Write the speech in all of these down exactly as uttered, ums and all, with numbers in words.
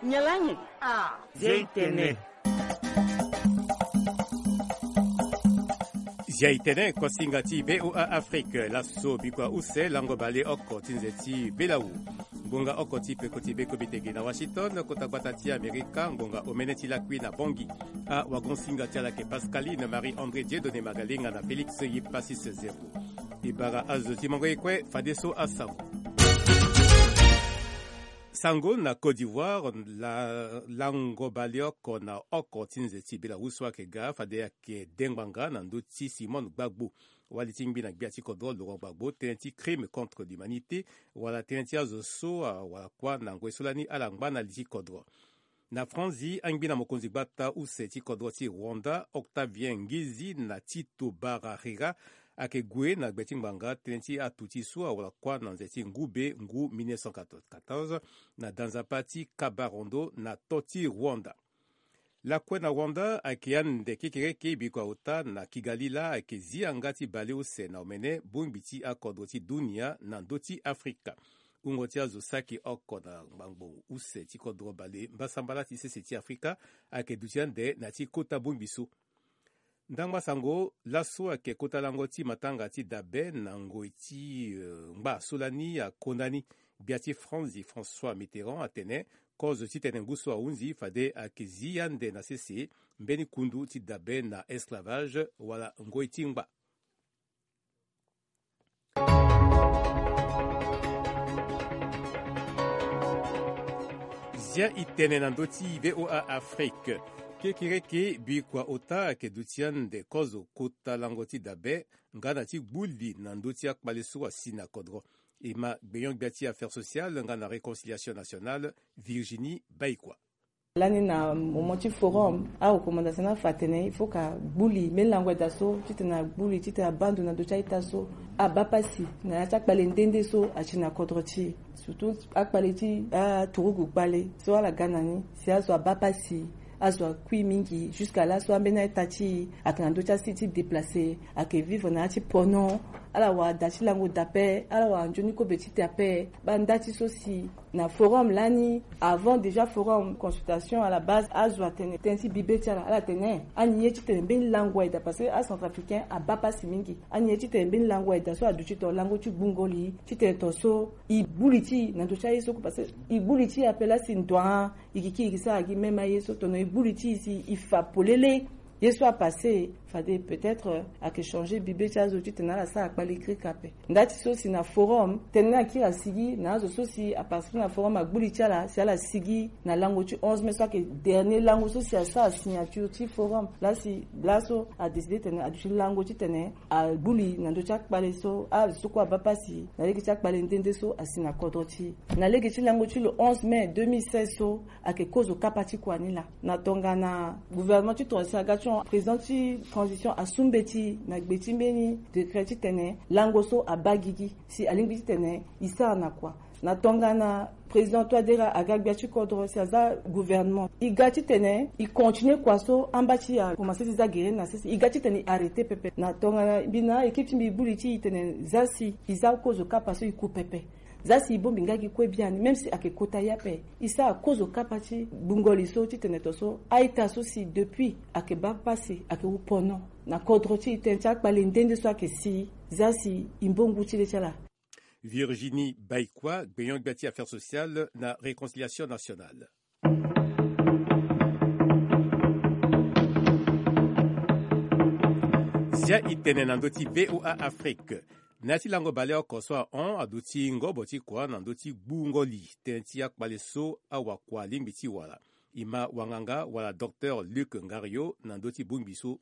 Nyalangi. Ah. Zia itene. Zia itene, kosinga ti VOA Afrique. Laso bikua use lango baleoko ti nze ti belawu. Ngonga oko ti peko ti beko bitege na Washington, kota gbata ti Amerika, ngonga omene ti lakui na Bongi. Awagonsinga ti ala yeke Pascaline Marie André Dieudonné Magalenga na Félix Yipassis Zero. E bara azo ti mango ye kue fadeso asango. Sango na Côte d'Ivoire, la, lango baleoko na oko ti nze ti belawu so ayeke ga fade ayeke dengbanga na ndö ti Simone Gbagbo. Wali ti ngbi na gbia ti kodro Laurent Gbagbo tënë ti crime contre l'humanité, wala tënë ti azo so awara kuâ na ngoi so lani ala ngba na li ti kodro. Na Franzi, angbi na mokonzi gbata use ti kodro ti Rwanda, Octavien Ngizi na Tito Barahira, ayeke gue na gbe ti ngbanga tënë ti atuti so awara kuâ na nze ti ngu be ngu mille neuf cent quatre-vingt-quatorze na danzapa ti Kabarondo na to ti Rwanda. Lakue na Rwanda ayeke ande kekereke bikua ota na Kigali laa ayeke zi yanga ti baleuse na omene bongbi ti akodro ti dunia na ndö ti Afrika. Wungo ti azo saki oko na ngbangbo use ti kodro bale mbasambala ti sese ti Afrika ayeke duti ande na ya ti kota bongbi so. Ndangba sango laso ayeke kota lango ti matanga ti dabe na ngoi ti, eh, ngba so lani akonda ni. Gbia ti Franzi François Mitterrand atene kozo titene ngu so ahunzi fade ayeke zi ande na sese mbeni kundu ti dabe na esclavage wala ngoi ti ngba. Zia itene na ndö ti VOA Afrique. Kekereke bikua ota ayeke duti ande kozo kota lango ti dabe nga na ti gbu li na ndö ti akpale so asi na kodro. E ma gbenyo-gbia ti affaires sociales nga na réconciliation nationale, Virginie Baikua. Lani na moment ti forum, arecommandation ni afa atene il faut ka gbu li mbeni lango ayeda so titene agbu li titene abaa ndo na ndö ti a-ita so abaa pasi na ya ti akpale nde nde so asi na kodro ti e. Surtout akpale ti aturugu kpale so ala ga na ni si azo abaa pasi, azo akui mingi jusqu'à laso ambeni a-ita ti e ayeke na ndö ti asi ti déplacer, ayeke vivre na ya ti pono. Ala wara da ti lango da ape, ala wara nzoni kobe ti te ape. Baa nda ti so si na forum lani, avant déjà forum, consultation à la base, azo atene tënë ti bibe ti ala, ala tene ani ye titene mbeni lango ayeda parce que acentrafricain abaa pasi mingi. Ani ye titene mbeni lango ayeda so aduti tongana lango ti gbungo li titene tongana so e gbu li ti e na ndö ti aye so kue parce que e gbu li ti e ape laa si ndo a, e yeke kiri e sara gi même aye so tongana e gbu li ti e si e fa polele. Ye so apasse fade peut-être, euh, ayeke changer bibe ti azo titene ala sara kpale kirika ape. Nda ti so si na forum tënë ni akiri asigi na azo so si aparticiper na forum agbu li ti ala si ala sigi na lango ti onze mai so ayeke dernier lango so si asara signature ti forum. Laa si laso adécider tene aduti lango titene agbu li na ndö ti akpale so azo so kue abaa pasi na lege ti akpale nde nde so asi na kodro ti e. Na lege ti lango ti le onze mai deux mille seize so ayeke kozo kapa ti kua ni laa. Na tongana gouvernement ti transition aga ti hon président ti transition asu mbeti na gbe ti mbeni décret titene lango so abaa gigi si alingbi titene e sara na kua. Na tongana président Touadéra aga gbia ti kodro si aza gouvernement, e ga titene e continuer kua so amba ti e akomanse ti za gere na sese, e ga titene e arrêter pepe. Na tongana mbi na équipe ti mbi e gbu li ti e tene za si e za kozo kapa so e ku pepe. Za si e bongbi nga gi kue biani, même si ayeke kota ye ape, e sara kozo kapa ti gbungo li so titene to so a-ita so si depuis ayeke baa pasi, ayeke wu pono na kodro ti e, tënë ti akpale nde nde so ayeke si, za si e mbo ngu ti le ti ala. Virginie Baikua, gbenyo-gbia ti affaires sociales na réconciliation nationale. Zia itene na ndö ti VOA Afrique. Na ya ti lango baleoko so ahon aduti ngobo ti kua na ndö ti gbungo li tënë ti akpale so awakua alingbi ti wara. E ma wanganga wala docteur Luc Ngario na ndö ti bongbi so.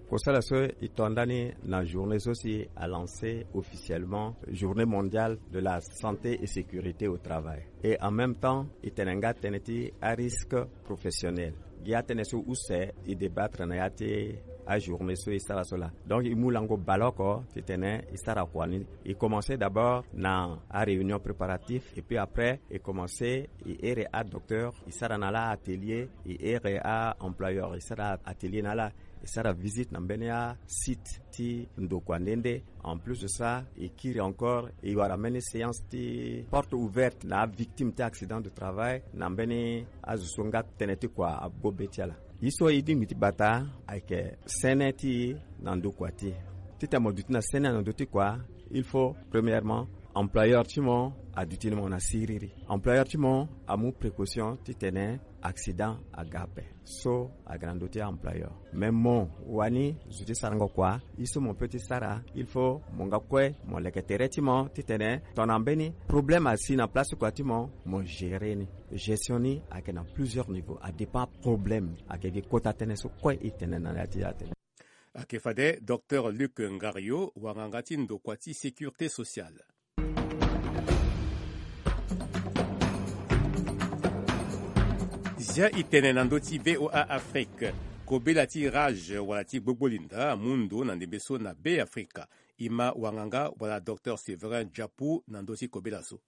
Kosala so e to ndani na journée so si a lancer officiellement journée mondiale de la santé et sécurité au travail. Et en même temps, e tene nga tënë ti arisque professionnel. Gi atënë so use e débattre na ya ti ajournée so e sara so laa. Donc e mu lango baleoko titene e sara kua ni. E commencer d'abord na aréunion préparatif et puis après e commencer e here adocteur, e sara na ala atelier, e here a-employeur, e sara atelier na ala. E sara visite na mbeni asite ti ndokua nde nde. En plus de ça, e kiri encore, e wara mbeni séance ti porte ouverte na avictime ti accident de travail na mbeni azo so nga tënë ti kua abobe ti ala. Ye so e lingbi ti bata ayeke sene ti e na ndokua ti e. Titene mo duti na sene na ndö ti kua, il faut premièrement employeur ti mo aduti ni mo na siriri. Employeur ti mo amu précaution titene accident aga ape. So aga na ndö ti employeur. Mais mo wani zo ti sarango kua, ye so mo peut ti sara, il faut mo nga kue mo leke tere ti mo titene tongana mbeni problème asi na place ti kua ti mo, mo gérer ni. Gestion ni ayeke na plusieurs niveaux, adépend problème. Ayeke gi kota tënë so kue e tene na ya ti ya tene. Ayeke fade Docteur Luc Ngario, wanganga ti ndokua ti sécurité sociale. Zia e tene na ndö ti V O A Afrique. Kobela ti rage wala ti gbogbo linda amu ndo na ndembe so na Be Afrika. E ma wanganga wala Docteur Séverin Diapu na ndö ti kobela so.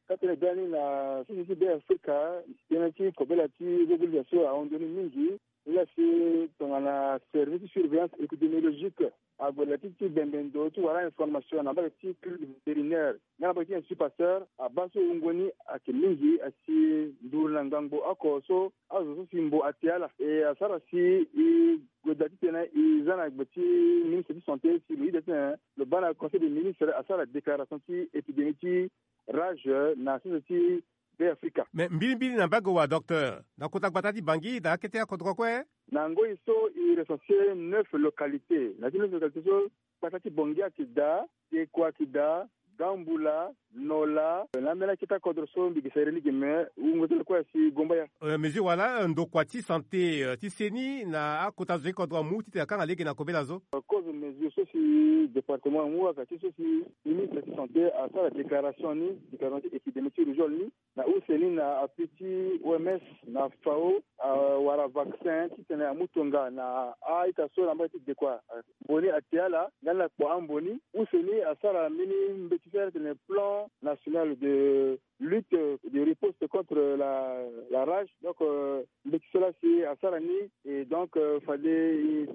Ka tene biani na sese ti Be Afrika, tënë ti kobela ti gbogbo linda so ahon ndo ni mingi. Ni la si tongana service ti surveillance épidémiologique ague na ya ti ti bembe ndo ti wara information na mbage ti clinique vétérinaire nga na mbage ti Institut Pasteur, abaa so wungo ni ayeke mingi asi nduru na ngangu oko so azo so si mbo ate ala. E asara si e gue daa titene e za na gbe ti ministre ti santé si lo yeda titene lo baa na conseil des ministres asara déclaration ti épidémie ti rage na sese ti Be Afrika. Mais mbilimbili na mbage wa docteur, na kota gbata ti Bangui daa akete akodro kue. Na ngoi so e recenser neuf localités. Na ti neuf localités so, gbata ti Bangui ayeke daa, Diekoua ayeke daa, Gamboula, Nola, na ambeni akete akodro so mbi gi sere ni gi me, wungo ti lo kue asi Gombaya. Euh, mesure wala, euh, ndokua ti santé, euh, ti seni na akota zo ti kodro amu titene akanga lege na kobela zo. Kozo mesure so si département amu, aka ti so si ministre ti santé asara déclaration ni, déclaration ti épidémie ti rougeole ni, na use ni na appui ti O M S na FAO, awara vaccin titene amu tonga na a-ita so na mbage ti Diekoua. Mbo ni ate ala nga ni akpo ambo ni. Use ni asara mbeni mbeti so atene plan national de lutte, de riposte contre la, la rage. Donc, euh, mbeti so la si asara ni, et donc, euh, fade e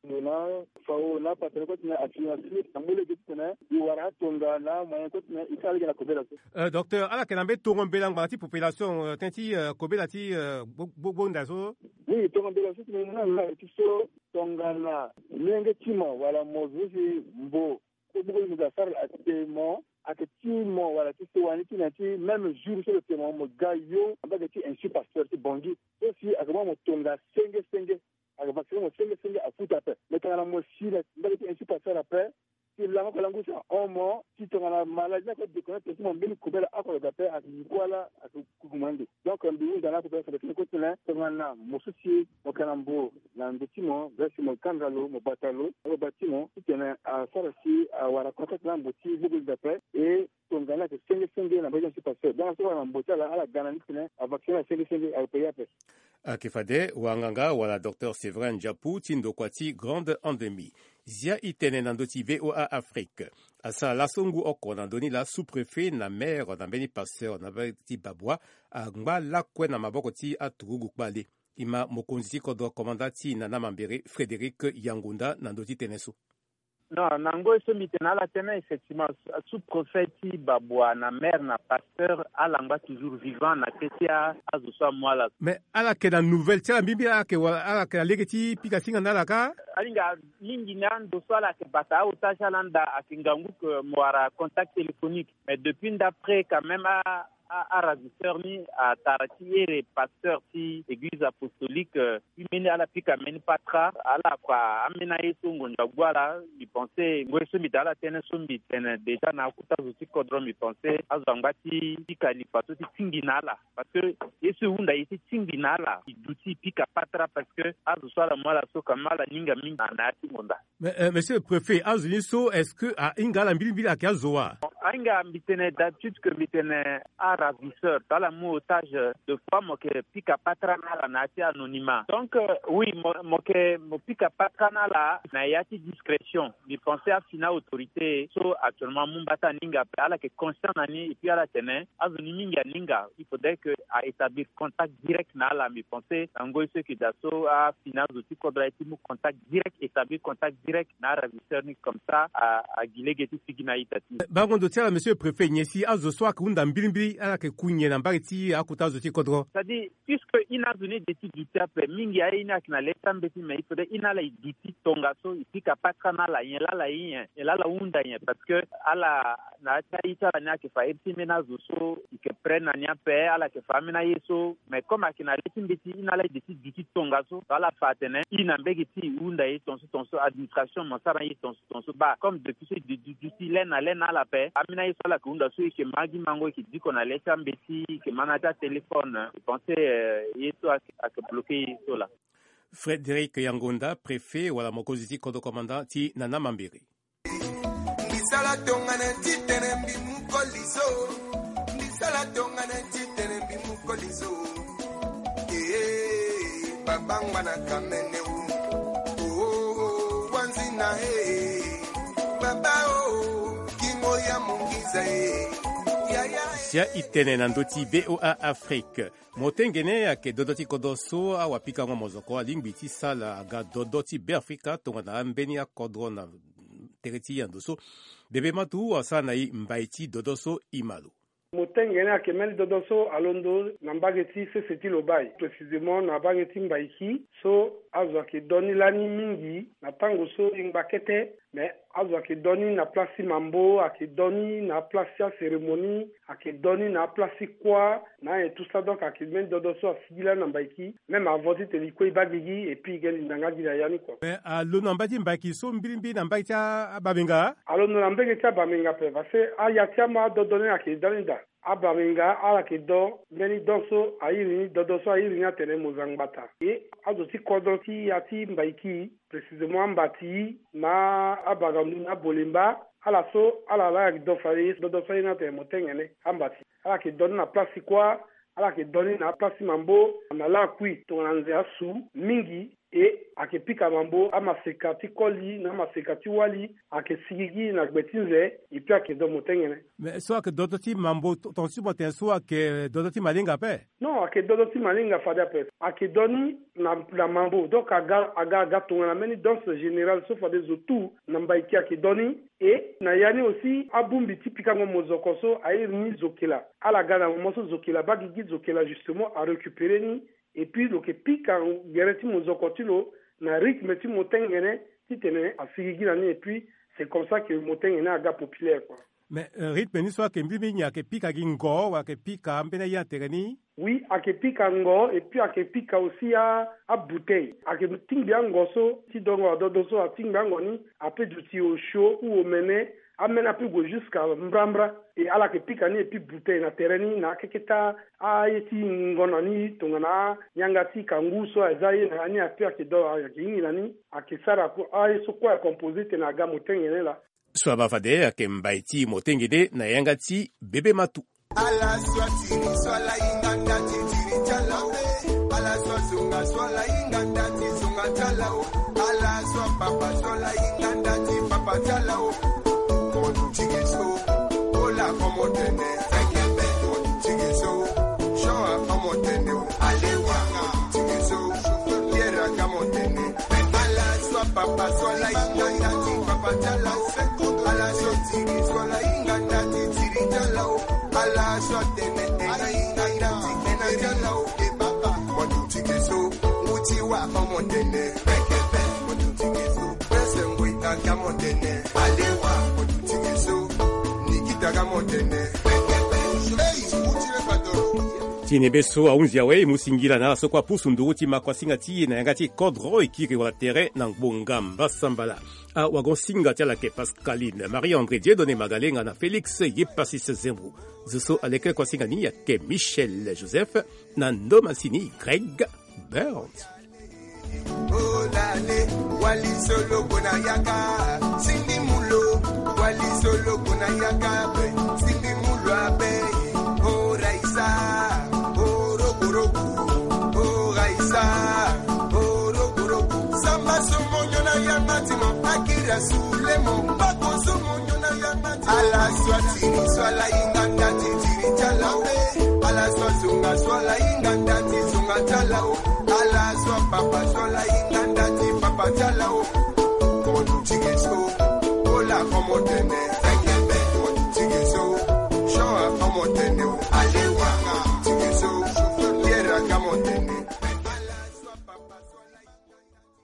na FAO na partenaire kue titene asini asini na mu lege titene e wara atonga na moyen kue titene e sara lege na kobela so. Euh, docteur, ala yeke na mbeni tongo mbela ngbanga ti population, euh, tënë ti, euh, kobela ti, euh, gbo-, gbo-, gbonda so? Oui, tongo mbela so titene na ti so tongana molenge ti mo wala mo zo si mbo kue gbogbo ni mo ga sara ate mo, ayeke ti mo wala ti sewa ni ti na ti même jour so lo te mo, mo ga yo na mbage ti Institut Pasteur ti Bangui. So si ayeke mu mo tonga senge senge, ayeke vacciner mo senge senge, afuta ape. Mais tongana mo si na mbage ti Institut Pasteur ape, si lango oko lango si ahon mo, si tongana maladie ni ayeke déconnecter ti mo, mbeni kobela oko lo ga ape, ayeke ngu ala, ayeke kuku mo ande. Donc mbi hunda na akobela fade tënë kue titene tongana mo so si mo yeke na mbo na ndo ti mo, ga si mo kanga lo, mo bata lo na baba ti mo titene asara si awara contact na mbo ti gbogbo li dape. E tongana ayeke senge senge na mbage ti Institut Pasteur. Donc so wara na mbo ti ala, ala ga na ni titene avacciner ala senge senge, ayeke paye ape. Ayeke fade wanganga wala docteur Séverin Diapu ti ndokua ti Grande Endémie. Zia e tene na ndö ti V O A Afrique. Asara laso ngu oko na ndö ni laa sous-préfet na maire na mbeni Pasteur na mbage ti Babwa angba lakue na maboko ti aturugu kpale. E ma mokonzi ti kodro commandant ti e na na mambere Frédéric Yangonda na ndö ti tënë so. Non, na ngoi so mbi tene na ala tënë, effectivement, sous-préfet ti Babwa na maire na Pasteur, ala ngba toujours vivant na kete a, azo so amu ala. Mais ala yeke na nouvelle ti ala mbirimbiri, ala yeke wala, ala yeke na lege ti pika singa na ala ka? Alinga mingi na ndo so ala yeke bata aota ti ala anda, ayeke ngangu ke mo wara contact téléphonique. Mais depuis ndapre quand même a, a, aravisseur ni atara ti here Pasteur ti église apostolique, euh, ti mbeni ala pika mbeni patra, ala kua ambeni aye so ngonzo agu ala. Mbi pense ngoi so mbi da ala tënë so mbi tene déjà na akota zo ti kodro, mbi pense azo angba ti pika lipa so ti tingbi na ala. Parce que ye so e hunda ye ti tingbi na ala, e duti e pika patra, parce que azo so ala mu ala so quand même ala ninga mingi na, na ya ti ngonda. Mais, euh, monsieur le préfet, azo ni so, est-ce que ahinga ala mbilimbili ayeke azo wa? Ahinga mbi tene d'habitude que mbi tene aravisseur, to ala mu otage, de fois mo yeke pika patara na ala na ya ti anonymat. Donc, euh, oui, mo, mo yeke mo pika patara na ala na ya ti discrétion. Mbi pense afini autorité so actuellement amu mbata ni hinga ape, ala yeke conscient na ni, et puis ala tene azo ni mingi aninga. Il faudrait que a établir contact direct na ala. Mbi pense na ngoi so e yeke daa so, afini azo ti kodro aye ti mu contact direct, établir contact direct na aravisseur ni, comme ça a, a gi lege ti sigi na a-ita ti e. Bango ndo ti ala, monsieur le préfet, nyen si azo so ayeke hunda mbilimbili ala yeke ku nyen na mbage ti akota azo ti kodro? C'est-à-dire, puisque e na azo ni e de ti duti ape, mingi aye ni ayeke na le ti ambeti, mais il faudrait e na ala e duti tongaso, e pika patara na ala, nyen laa ala ye nyen, nyen laa ala hunda nyen, parce que ala na ya ti a-ita ala ni ayeke fa iri ti mbeni azo so e yeke prêt na ni ape, ala yeke fa ambeni aye so. Mais comme ayeke na le ti mbeti, e na ala e de ti duti tongaso, so ala fa atene e na mbege ti e hunda ye tongaso tongaso, administration mo sara ye tongaso tongaso. Baa, comme depuis so e de duti le na le na ala ape, ambeni aye so ala yeke hunda so e yeke ma gi mango, e yeke diko na le ti ambeti, e yeke ma na ya ti atéléphone. E pense, euh, ye so ayeke, ayeke bloqué ye so laa. Frédéric Yangonda, préfet wala mokonzi ti kodro, commandant ti Nana Mambéré. Mbi sala tongana ti tene mbi mu koli so. Mbi sala tongana ti tene mbi mu koli so. Ee, babangba na kamene o. Oo, wanzina ee. Baba o, kingo ya mongiza ee. Yaya. Sia e tene na ndö ti V O A Afrique. Motengene ayeke dodo ti kodro so awapikango mozoko alingbi ti sala aga dodo ti Beafrika tongana ambeni akodro na tere ti yando so. Bebe Matu asara na e mbai ti dodo so e ma lo. Motengene ayeke mbeni dodo so alondo na mbage ti sese ti lo bai, précisément na mbage ti Mbaiki, so azo ayeke do ni lani mingi na tango so e ngba kete. Mais azo ayeke do ni na place ti mambo, ayeke do ni na place ti acérémonie, ayeke do ni na place ti kuâ, na nyen tout ça. Donc ayeke mbeni dodo so asigi lani na Mbaiki. Même avant titene e kue e baa gigi, et puis e ge linda nga gi na ya ni kua. Mais alondo na mbage ti Mbaiki so mbilimbili na mbage ti a-, abamenga? Alondo na mbage ti abamenga ape, parce que aya ti ama adodo ni ayeke da ni daa. Abamenga ala yeke do mbeni don so a iri ni, dodo so a iri ni atene Mozangbata. E azo ti kodro ti ya ti Mbaiki, précisément Ambati na Abagandu na Bolemba, ala so ala laa ayeke do fade ye so, dodo so a iri ni atene Motengene. Ambati ala yeke do ni na place ti kuâ, ala yeke do ni na place ti mambo, na lakui tongana nze asu mingi. E ayeke pika mambo, amaseka ti koli na amaseka ti wali, ayeke sigigi na gbe ti nze, et puis ayeke do Motengene. Mais so ayeke dodo ti mambo, ton-, tongaso ti mo tene so ayeke dodo ti malinga ape? Non, ayeke dodo ti malinga fade ape. Ayeke do ni na, na mambo. Donc aga, aga, aga tongana mbeni danse générale so fade zo tout na Mbaiki ayeke do ni. E na ya ni aussi, abongbi ti pikango mozoko so a iri ni zokela. Ala ga na moment so zokela baa gigi, zokela justement arécupéré ni. Et puis lo yeke pika gere ti mozoko ti lo na rythme ti Motengene titene asigigi na ni. Et puis c'est comme ça que Motengene aga populaire, quoi. Mais, euh, rythme ni so ayeke mbi, mbi nyen, ayeke pika gi ngo, wala ayeke pika ambeni aye na tere ni? Oui, ayeke pika ngo, et puis ayeke pika aussi a, abouteille. Ayeke tingbi ango so ti dongo adodo so, atingbi ango ni, ape duti osio ou omene, ameni ape gue jusqu'à mbrambra. E ala yeke pika ni, et puis bouteille na tere ni, na akeke ti aye ti ngona ni, tongana yanga ti kangu so aza ye na ya ni, ape ayeke do, ayeke hingi na ni, ayeke sara ku, aye so kue a composé tene aga Motengene laa. So abaa fade ayeke mbai ti Motengene na yanga ti Bebe Matu. Ala so atiri so ala hinga nda ti tiri ti ala o. Ala so azonga so ala hinga nda ti zonga ti ala o. Ala so apapa so ala hinga nda ti papa ti ala o. Mo duti ge so. Ola ko mo tene. Fekebe mo duti ge so. Jean ako mo tene o. Alewa mo duti ge so. Pierre aka mo tene. Ala so apapa so ala hinga nda ti papa ti ala o. Ala so tiri so ala hinga nda ti tiri ti ala o. Ala so atene ena hinga nda ti ena ti ala o. E papa mo duti ge so. Ngu ti wa ako mo tene. Fekebe mo duti ge so. Prince Ngui aka mo tene. Alewa mo duti ge so. Nikita aka mo tene. Fekebe. Ei, ngu ti le patron. Ti nyen be so ahunzi awe, e mu singila na ala so kue apusu nduru ti ma kuasinga ti e na yanga ti kodro, e kiri wala tere na ngbonga mbasambala. Awagon-singa ti ala ayeke Pascaline, Marie-André, Dieudonné Magalenga na Félix Yepasis Zembo. Zo so aleke kuasinga ni ayeke Michel Joseph na ndo masini Greg Burns. Wali solo kona yaka, sindi mulo. Wali solo kona yaka be, sindi mulo abe. O raisa, o rogorogo. O raisa, o rogorogo. Samba somo nyona yanga timo, akira sulemo. Bako somo nyona yanga. Ala swa tiri swa la inga ndati tiri tala o. Ala swa zunga swa la inga ndati zunga tala o. Ala swa papa swa la inga ndati papa tala o. Komo tu tigi so. Ola komo tene. Tengebe komo tu tigi so. Shoa komo tene o. Alewa komo tu tigi so. Yera komo tene.